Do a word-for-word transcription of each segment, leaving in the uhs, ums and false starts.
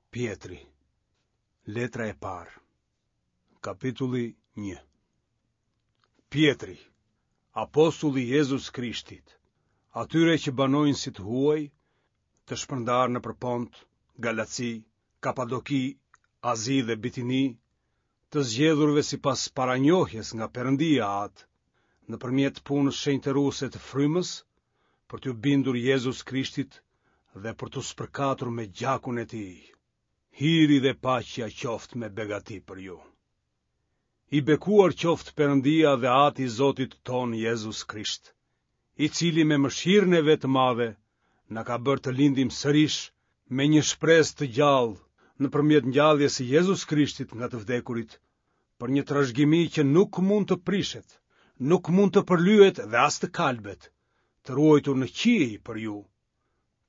Pjetri, letra e parë, kapitulli një. Pjetri, apostulli i Jezus Krishtit, atyre që banojnë si të huaj, të shpërndarë nëpër Pont, Galaci, Kapadoki, Azi dhe Bitini, të zgjedhurve sipas paranjohjes nga Perëndia Atë, nëpërmjet punës shenjtëruese të Frymës, për t'iu bindur Jezus Krishtit dhe për t'u spërkatur me gjakun e tij. Hiri dhe paqja qoftë me begati për ju. I bekuar qoftë Perëndia dhe Ati i Zotit tonë Jezus Krisht, i cili me mëshirën e vet të madhe na ka bërë të lindim sërish me një shpresë të gjallë nëpërmjet ngjalljes së Jezus Krishtit nga të vdekurit, për një trashëgimi që nuk mund të prishet, nuk mund të përlyhet dhe as të kalbet, të ruajtur në qiej për ju,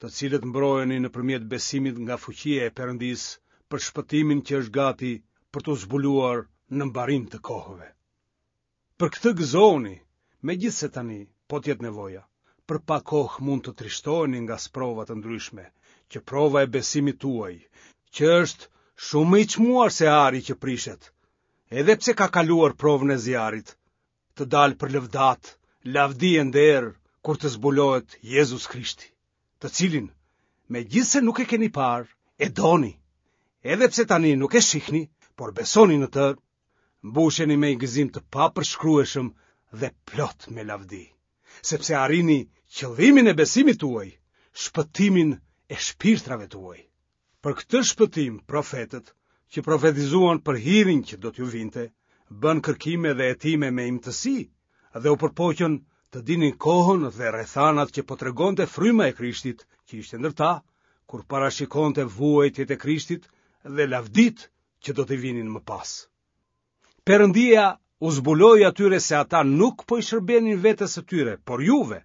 të cilët mbroheni nëpërmjet besimit nga fuqia e Perëndisë për shpëtimin që është gati për t'u zbuluar në mbarim të kohëve. Për këtë gëzohuni, megjithëse tani, po të jetë nevoja, për pak kohë mund të trishtoheni nga sprova të ndryshme, që prova e besimit tuaj, që është shumë më i çmuar se ari që prishet, edhe pse ka kaluar provën e zjarrit, të dalë për lëvdatë, lavdi e nder kur të zbulohet Jezus Krishti, të cilin, megjithëse nuk e keni parë, e doni, edhe pse tani nuk e shihni, por besoni në të, mbusheni me një gëzim të papërshkrueshëm dhe plot me lavdi, sepse arrini qëllimin e besimit tuaj, shpëtimin e shpirtrave tuaj. Për këtë shpëtim, profetët, që profetizuan për hirin që do t'ju vinte, bënë kërkime dhe hetime me imtësi dhe u përpoqën të dinin kohën dhe rrethanat që po tregonte fryma e Krishtit, që ishte ndër ta, kur parashikonte vuajtjet e Krishtit dhe lavditë që do t'i vinin më pas. Perëndia u zbuloi atyre se ata nuk po i shërbenin vetes së tyre, por juve,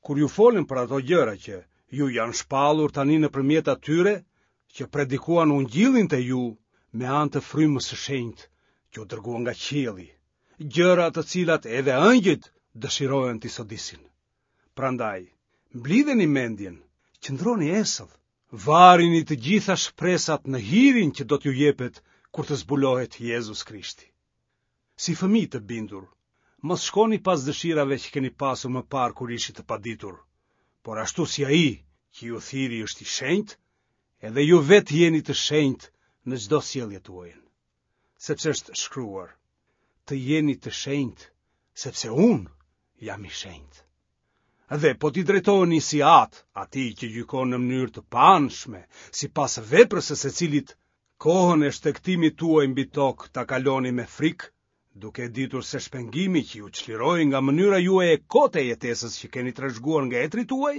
kur ju folën për ato gjëra që ju janë shpallur tani nëpërmjet atyre që predikuan ungjillin te ju me anë të frymës së shenjtë që u dërgua nga qielli, gjëra të cilat edhe ëngjëjt dëshirojnë t'i sodisin. Prandaj, mblidheni mendjen, qëndroni esëll, varini të gjitha shpresat në hirin që do t'ju jepet kur të zbulohet Jezus Krishti. Si fëmijë të bindur, mos shkoni pas dëshirave që keni pasur më parë kur ishit të paditur, por ashtu si ai që ju thirri është i shenjtë, edhe ju vetë jeni të shenjtë në çdo sjellje tuajën. Sepse është shkruar, të jeni të shenjtë, sepse unë jam i shenjtë. Dhe po t'i drejtoheni si atë, atij që gjykon në mënyrë të paanshme, sipas veprës së secilit, kohën e shtegtimit tuaj mbi tokë ta kaloni me frikë, duke e ditur se shpengimi që ju çliroi nga mënyra juaj e kotë e jetesës që keni trashëguar nga etërit tuaj,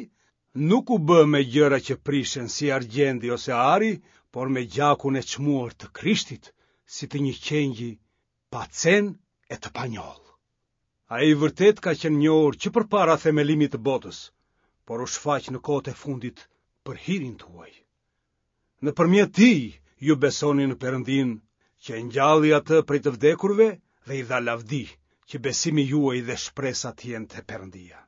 nuk u bë me gjëra që prishen si argjendi ose ari, por me gjakun e çmuar të Krishtit, si të një qengji pa cen e të panjollë. Ai vërtet ka qenë njohur që përpara themelimit të botës, por u shfaq në kohët e fundit për hirin tuaj. Nëpërmjet tij ju besoni në Perëndinë, që e ngjalli atë prej të vdekurve dhe i dha lavdi, që besimi juaj dhe shpresa të jenë te Perëndia.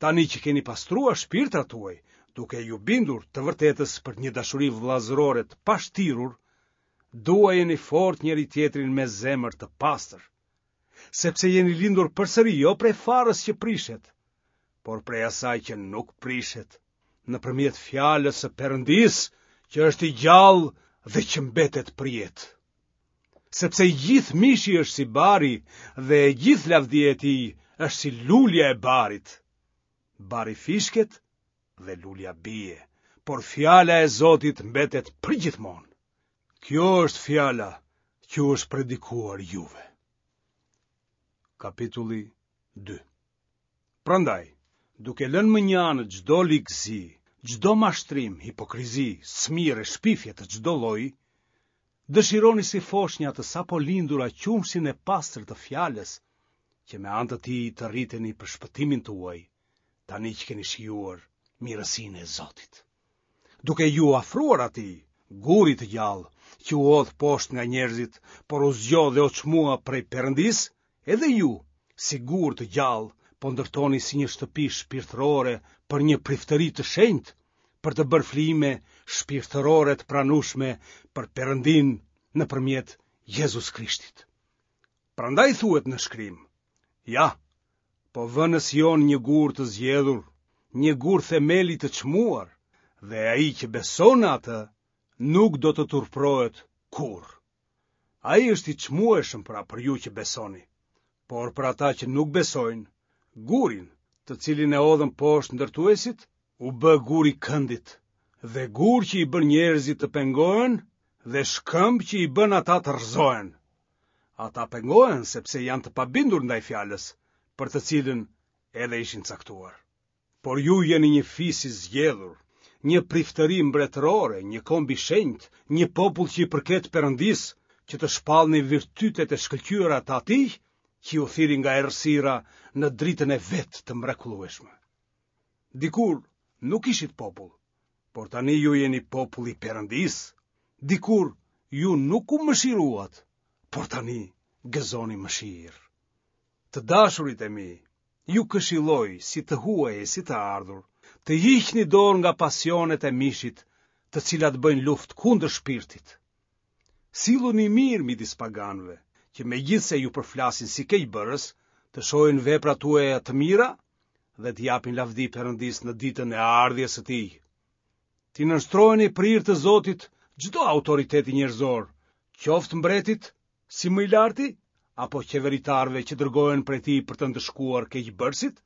Tani që keni pastruar shpirtrat tuaj, duke ju bindur të vërtetës për një dashuri vëllazërore të pashtirur, duajeni fort njëri tjetrin me zemër të pastër, sepse jeni lindur përsëri jo prej farës që prishet, por prej asaj që nuk prishet, nëpërmjet fjalës së Perëndisë, që është i gjallë dhe që mbetet përjetë. Sepse i gjithë mishi është si bari dhe e gjithë lavdia e tij është si lulja e barit. Bari fishket dhe lulja bie, por fjala e Zotit mbetet përgjithmonë. Kjo është fjala që u është predikuar juve. Kapitulli dy. Prandaj, duke lënë më një anë çdo ligësi, çdo mashtrim, hipokrizi, smirë e shpifje të çdo lloji, dëshironi si foshnja të sapo lindura qumështin e pastër të fjalës, që me anë të tij të rriteni për shpëtimin tuaj, tani që keni shijuar mirësinë e Zotit. Duke ju afruar atij, gurit të gjallë, që u hodh poshtë nga njerëzit, por u zgjodh dhe u çmua prej Perëndisë, edhe ju, si gurë të gjallë, po ndërtoni si një shtëpi shpirtërore për një priftëri të shenjtë, për të bërë flijime shpirtërore të pranueshme për Perëndinë nëpërmjet Jezus Krishtit. Prandaj thuhet në shkrim: Ja, po vë në Sion një gur të zgjedhur, një gur themeli të çmuar, dhe ai që beson në atë nuk do të turpërohet kurrë. Ai është i çmueshëm pra për ju që besoni, por për ata që nuk besojnë, gurin, të cilin e hodhën poshtë ndërtuesit, u bë gur i këndit, dhe gur që i bën njerëzit të pengohen dhe shkëmb që i bën ata të rrëzohen. Ata pengohen sepse janë të pabindur ndaj fjalës, për të cilën edhe ishin caktuar. Por ju jeni një fis i zgjedhur, një priftëri mbretërore, një komb i shenjtë, një popull që i përket Perëndisë, që të shpallni virtytet e shkëlqyera të atij që ju thirri nga errësira në dritën e vet të mrekullueshme. Dikur nuk ishit popull, por tani ju jeni populli i Perëndisë. Dikur ju nuk u mëshiruat, por tani gëzoni mëshirë. Të dashurit e mi, ju këshilloj si të huaj e si të ardhur, të hiqni dorë nga pasionet e mishit, të cilat bëjnë luftë kundër shpirtit. Silluni mirë midis paganëve, që megjithëse ju përflasin si keqbërës, të shohin veprat tuaja të mira dhe të japin lavdi Perëndisë në ditën e ardhjes së tij. T'i nënshtroheni për hir të Zotit çdo autoriteti njerëzor, qoftë mbretit, si më i larti, apo qeveritarëve që dërgohen prej tij për të ndëshkuar keqbërësit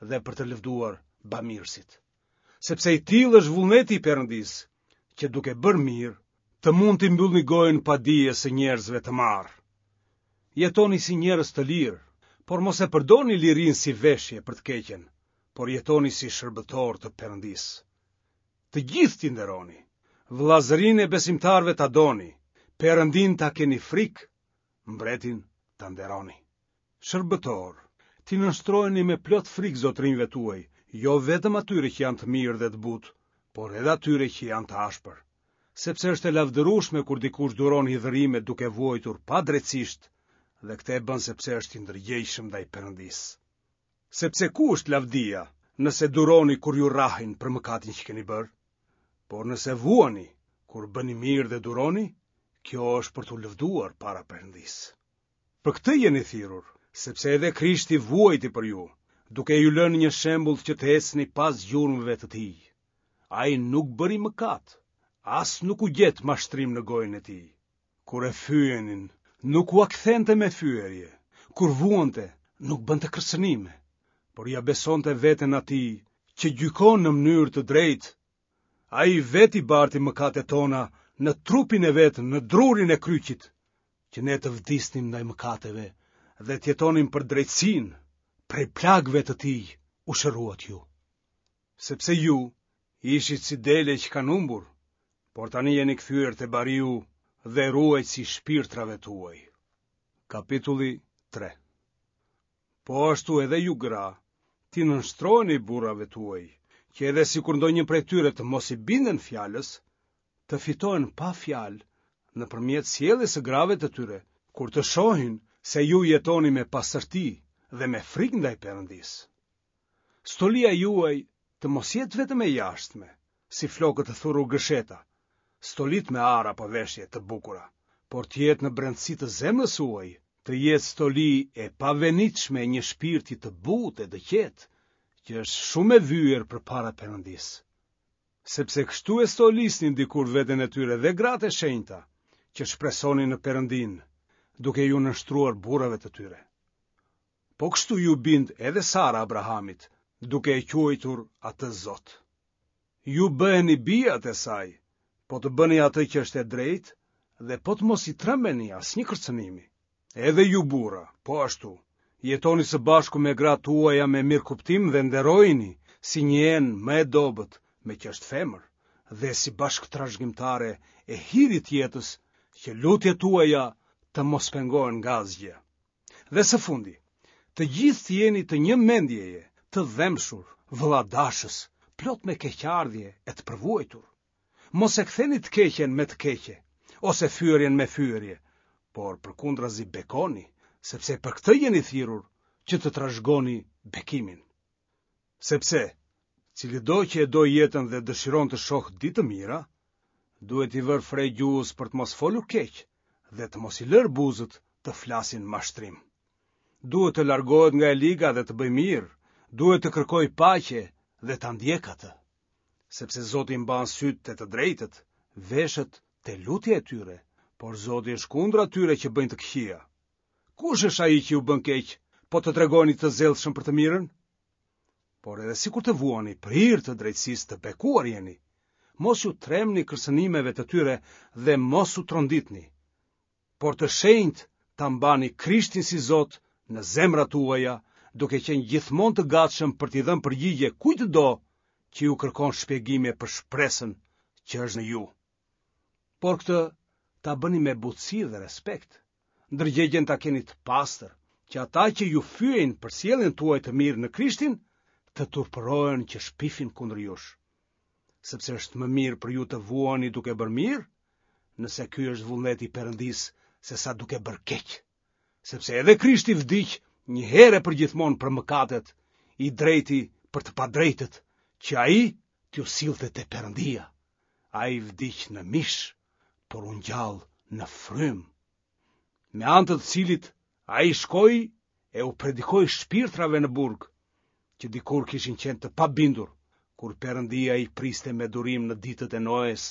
dhe për të lëvduar bamirësit. Sepse i tillë është vullneti i Perëndisë, që duke bërë mirë, të mund t'i mbyllni gojën padijes së njerëzve të marrë. Jetoni si njerëz të lirë, por mos e përdorni lirinë si veshje për të keqen, por jetoni si shërbëtor të Perëndisë. Të gjithë t'i nderoni, vëllazërinë e besimtarëve ta doni, Perëndin ta keni frikë, mbretin ta nderoni. Shërbëtor, t'i nënshtroheni me plot frikë zotërinjve tuaj, jo vetëm atyre që janë të mirë dhe të butë, por edhe atyre që janë të ashpër. Sepse është e lavdërueshme kur dikush duron hidhërime duke vuajtur padrejtësisht, dhe këtë e bën sepse është i ndërgjegjshëm ndaj Perëndisë. Sepse ku është lavdia, nëse duroni kur ju rrahin për mëkatin që keni bërë? Por nëse vuani kur bëni mirë dhe duroni, kjo është për t'u lëvduar para Perëndisë. Për këtë jeni thirrur, sepse edhe Krishti vuajti për ju, duke ju lënë një shembull që të ecni pas gjurmëve të tij. Ai nuk bëri mëkat, as nuk u gjet mashtrim në gojën e tij. Kur e fyenin, nuk ua kthente me fyerje, kur vuante, nuk bënte kërcënime, por ia besonte veten atij që gjykon në mënyrë të drejtë. Ai vetë i barti mëkatet tona në trupin e vet në drurin e kryqit, që ne të vdisnim ndaj mëkateve dhe të jetonim për drejtësinë, prej plagëve të tij u shëruat ju. Sepse ju ishit si dele që kanë humbur, por tani jeni kthyer te bariu dhe ruajtësi i shpirtrave tuaj. Kapitulli tre. Po ashtu edhe ju gra, t'i nënshtroheni burrave tuaj, që edhe sikur ndonjë prej tyre të mos i binden fjalës, të fitohen pa fjalë nëpërmjet sjelljes së grave të tyre, kur të shohin se ju jetoni me pastërti dhe me frikë ndaj Perëndisë. Stolia juaj të mos jetë vetëm e jashtme, si flokët të thurur gërsheta, stolit me ar apo veshje të bukura, por të jetë në brendësi të zemrës suaj, të jetë stoli e pavenitshme e një shpirti të butë e të qetë, që është shumë e vyer përpara Perëndisë. Sepse kështu e stolisnin dikur veten e tyre dhe gratë e shenjta, që shpresonin në Perëndin, duke ju nënshtruar burrave të tyre. Po kështu ju bind edhe Sara Abrahamit, duke e quajtur atë Zot. Ju bëheni bijat e saj, po të bëni atë që është e drejtë dhe po të mos i trembeni asnjë kërcënimi. Edhe ju burra, po ashtu, jetoni së bashku me gratë tuaja me mirëkuptim dhe nderojini si një enë më e dobët, me që është femër, dhe si bashkëtrashëgimtare e hirit të jetës, që lutjet tuaja të mos pengohen nga asgjë. Dhe së fundi, të gjithë të jeni të një mendjeje, të dhembshur, vëlladashës, plot me keqardhje e të përvuajtur. Mos e ktheni të keqen me të keqe, ose fyerjen me fyerje, por përkundrazi bekoni, sepse për këtë jeni thirrur, që të trashëgoni bekimin. Sepse, cilido që e do jetën dhe dëshiron të shohë ditë të mira, Duhet t'i vërë fre gjuhës për të mos folur keq dhe të mos i lërë buzët të flasin mashtrim. Duhet të largohet nga e liga dhe të bëjë mirë, duhet të kërkojë paqe dhe ta ndjekë atë. Sepse Zoti mban sytë te të drejtët, veshët te lutja e tyre, por Zoti është kundër atyre që bëjnë të këqija. Kush është ai që ju bën keq, po të tregoheni të zellshëm për të mirën? Por edhe sikur të vuani për hir të drejtësisë të bekuar jeni. Mos iu trembni kërcënimeve të tyre dhe mos u tronditni. Por të shenjtë ta mbani Krishtin si Zot në zemrat tuaja, duke qenë gjithmonë të gatshëm për t'i dhënë përgjigje kujtdo që ju kërkon shpjegime për shpresën që është në ju. Por këtë ta bëni me butësi dhe respekt. Ndërgjegjen ta keni të pastër, që ata që ju fyejnë për sjelljen tuaj të mirë në Krishtin, të turpërohen që shpifin kundër jush. Sepse është më mirë për ju të vuani duke bërë mirë, nëse ky është vullneti i Perëndisë, sesa duke bërë keq. Sepse edhe Krishti vdiq një herë e përgjithmonë për mëkatet, i drejti për të padrejtët, që ai t'ju sillte te Perëndia. Ai vdiq në mish, por u ngjall në frymë, me anë të të cilit ai shkoi e u predikoi shpirtrave në burg, që dikur kishin qenë të pabindur, kur Perëndia i priste me durim në ditët e Noes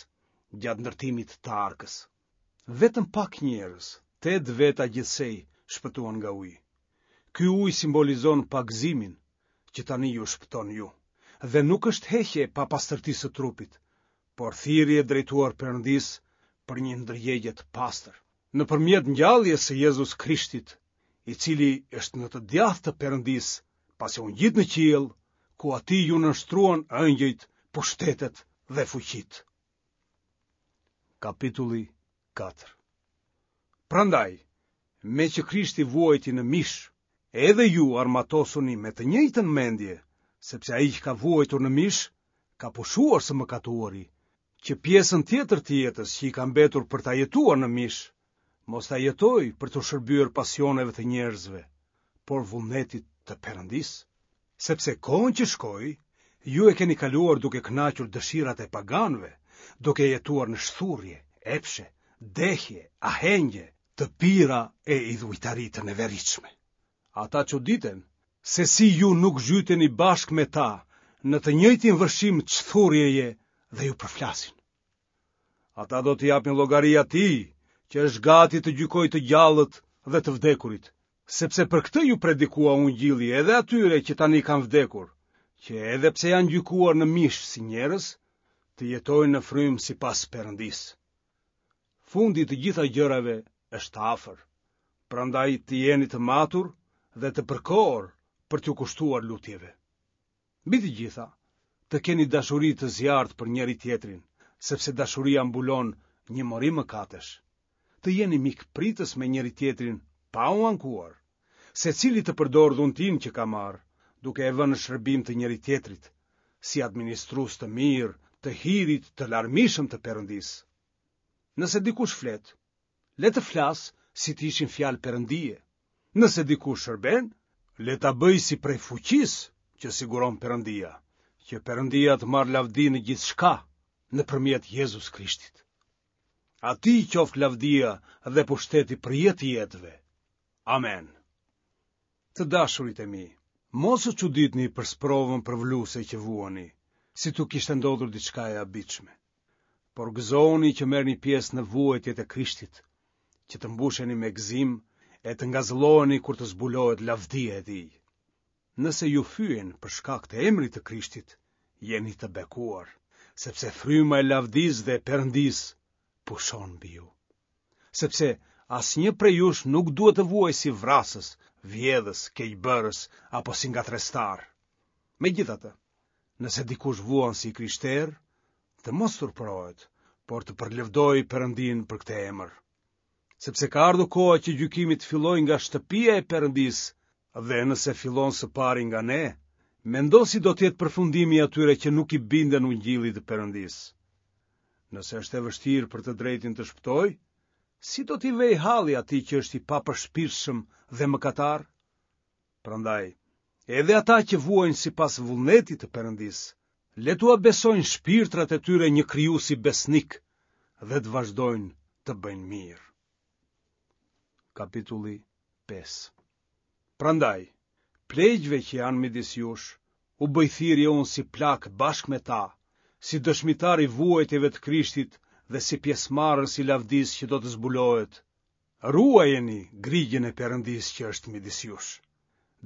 gjatë ndërtimit të arkës. Vetëm pak njerëz, tetë veta gjithsej, shpëtuan nga uji. Ky ujë simbolizon pagëzimin, që tani ju shpëton ju, dhe nuk është heqje e papastërtisë së trupit, por thirrje drejtuar Perëndisë për një ndërgjegje të pastër, nëpërmjet ngjalljes së Jezus Krishtit, i cili është në të djathtë të Perëndisë, pasi u ngjit në qiell, ku atij iu nënshtruan engjëjt, pushtetet dhe fuqitë. Kapitulli katër. Prandaj, meqë Krishti vuajti në mish, edhe ju armatosuni me të njëjtën mendje, sepse ai që ka vuajtur në mish, ka pushuar së mëkatuari, që pjesën tjetër të jetës që i ka mbetur për ta jetuar në mish, mos ta jetojë për t'u shërbyer pasioneve të njerëzve, por vullnetit të Perëndisë. Sepse kohën që shkoi, ju e keni kaluar duke kënaqur dëshirat e paganëve, duke jetuar në shthurje, epshe, dehje, ahengje, të pira e idhujtari të neveritshme. Ata çuditen se si ju nuk zhyteni bashkë me ta në të njëjtin vërshim çthurjeje dhe ju përflasin. Ata do t'i japin llogari atij që është gati të gjykojë të gjallët dhe të vdekurit, sepse për këtë ju predikua ungjilli edhe atyre që tani kanë vdekur, që edhe pse janë gjykuar në mish si njerëz, të jetojnë në frymë sipas Perëndisë. Fundi i të gjitha gjërave është afër, prandaj të jeni të matur dhe të përkohur për t'ju kushtuar lutjeve. Mbi të gjitha, të keni dashuri të zjarrtë për njëri tjetrin, sepse dashuria mbulon një mori mëkatesh. Të jeni mikpritës me njëri tjetrin pa u ankuar, secili të përdorë dhuntinë që ka marrë, duke e vënë në shërbim të njëri tjetrit, si administrues të mirë të hirit të larmishëm të Perëndisë. Nëse dikush flet, le të flasë si të ishin fjalë Perëndie. Nëse dikush shërben, le ta bëjë si prej fuqisë që siguron Perëndia, që Perëndia të marrë lavdi në gjithçka nëpërmjet Jezus Krishtit. Atij qoftë lavdia dhe pushteti për jetë të jetëve. Amen. Të dashurit e mi, mos u çuditni për sprovën përvëluese që vuani, si t'u kishte ndodhur diçka e habitshme. Por gëzohuni që merrni pjesë në vuajtjet e Krishtit, që të mbusheni me gëzim e të ngazëlloheni kur të zbulohet lavdia e tij. Nëse ju fyejnë për shkak të emrit të Krishtit, jeni të bekuar, sepse fryma e lavdisë dhe e Perëndisë pushon mbi ju. Sepse asnjë prej jush nuk duhet të vuajë si vrasës, vjedhës, keqbërës apo si ngatërrestar. Megjithatë, nëse dikush vuan si i krishterë, të mos turpërohet, por të përlëvdojë Perëndinë për këtë emër. Sepse ka ardhur koha që gjykimi të fillojë nga shtëpia e Perëndisë, dhe nëse fillon së pari nga ne, mendo si do të jetë përfundimi i atyre që nuk i binden ungjillit të Perëndisë. Nëse është e vështirë për të drejtin të shpëtojë, si do t'i vejë halli atij që është i papërshpirtshëm dhe mëkatar? Prandaj, edhe ata që vuajnë sipas vullnetit të Perëndisë, le t'ua besojnë shpirtrat e tyre një krijuesi besnik dhe të vazhdojnë të bëjnë mirë. Kapitulli pesë. Prandaj, pleqve që janë midis jush, u bëj thirrje unë si plak bashkë me ta, si dëshmitar i vuajtjeve të Krishtit dhe si pjesëmarrës i lavdisë që do të zbulohet. Ruajeni grigjën e Perëndisë që është midis jush,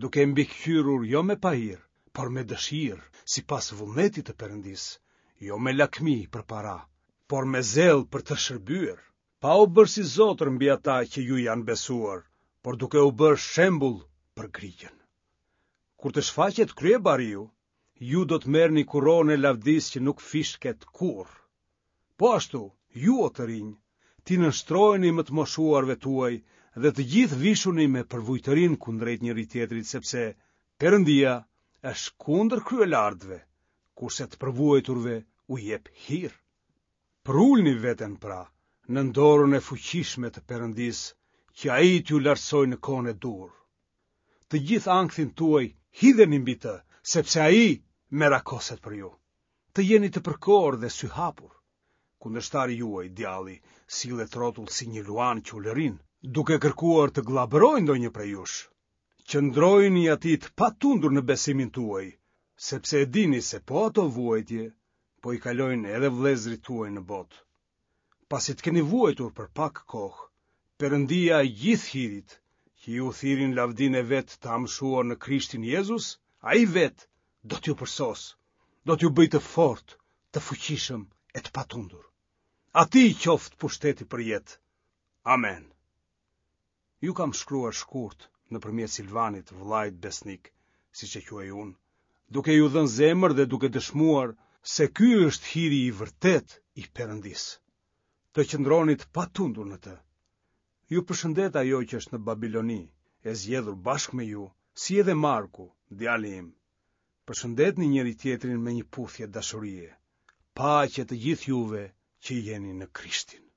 duke e mbikëqyrur jo me pahir, por me dëshirë, sipas vullnetit të Perëndisë, jo me lakmi për para, por me zell për të shërbyer, pa u bërë si zotër mbi ata që ju janë besuar, por duke u bërë shembull për grigjën. Kur të shfaqet kryebariu, ju do të merrni kuronën e lavdisë që nuk fishket kurrë. Po ashtu, ju o të rinj, t'i nënshtroheni më të moshuarve tuaj dhe të gjithë vishuni me përvujtërinë kundrejt njëri-tjetrit, sepse Perëndia është kundër kryelartëve, kurse të përvuajturve u jep hir. Përulni veten pra nën dorën e fuqishme të Perëndisë, që ai t'ju lartësojë në kohën e duhur. Të gjithë ankthin tuaj hidheni mbi të, sepse ai merakoset për ju. Të jeni të përkorë dhe syhapur. Kundërshtari juaj, djalli, sillet rrotull si një luan që ulërin, duke kërkuar të gllabërojë ndonjë prej jush. Qëndrojini atij të patundur në besimin tuaj, sepse e dini se po ato vuajtje po i kalojnë edhe vëllezërit tuaj në botë. Pasi të keni vuajtur për pak kohë, Perëndia e gjithë hirit, që ju thirri në lavdinë e vet të amshuar në Krishtin Jezus, ai vetë do t'ju përsosë, do t'ju bëjë të fortë, të fuqishëm e të patundur. Atij qoftë pushteti për jetë. Amen. Ju kam shkruar shkurt nëpërmjet Silvanit, vëllait besnik, siç e quaj unë, duke ju dhënë zemër dhe duke dëshmuar se ky është hiri i vërtetë i Perëndisë. Të qëndroni të patundur në të. Ju përshëndet ajo që është në Babiloni, e zgjedhur bashkë me ju, si edhe Marku, djali im. Përshëndetni njëri-tjetrin me një puthje dashurie. Paqe të gjithë juve që jeni në Krishtin.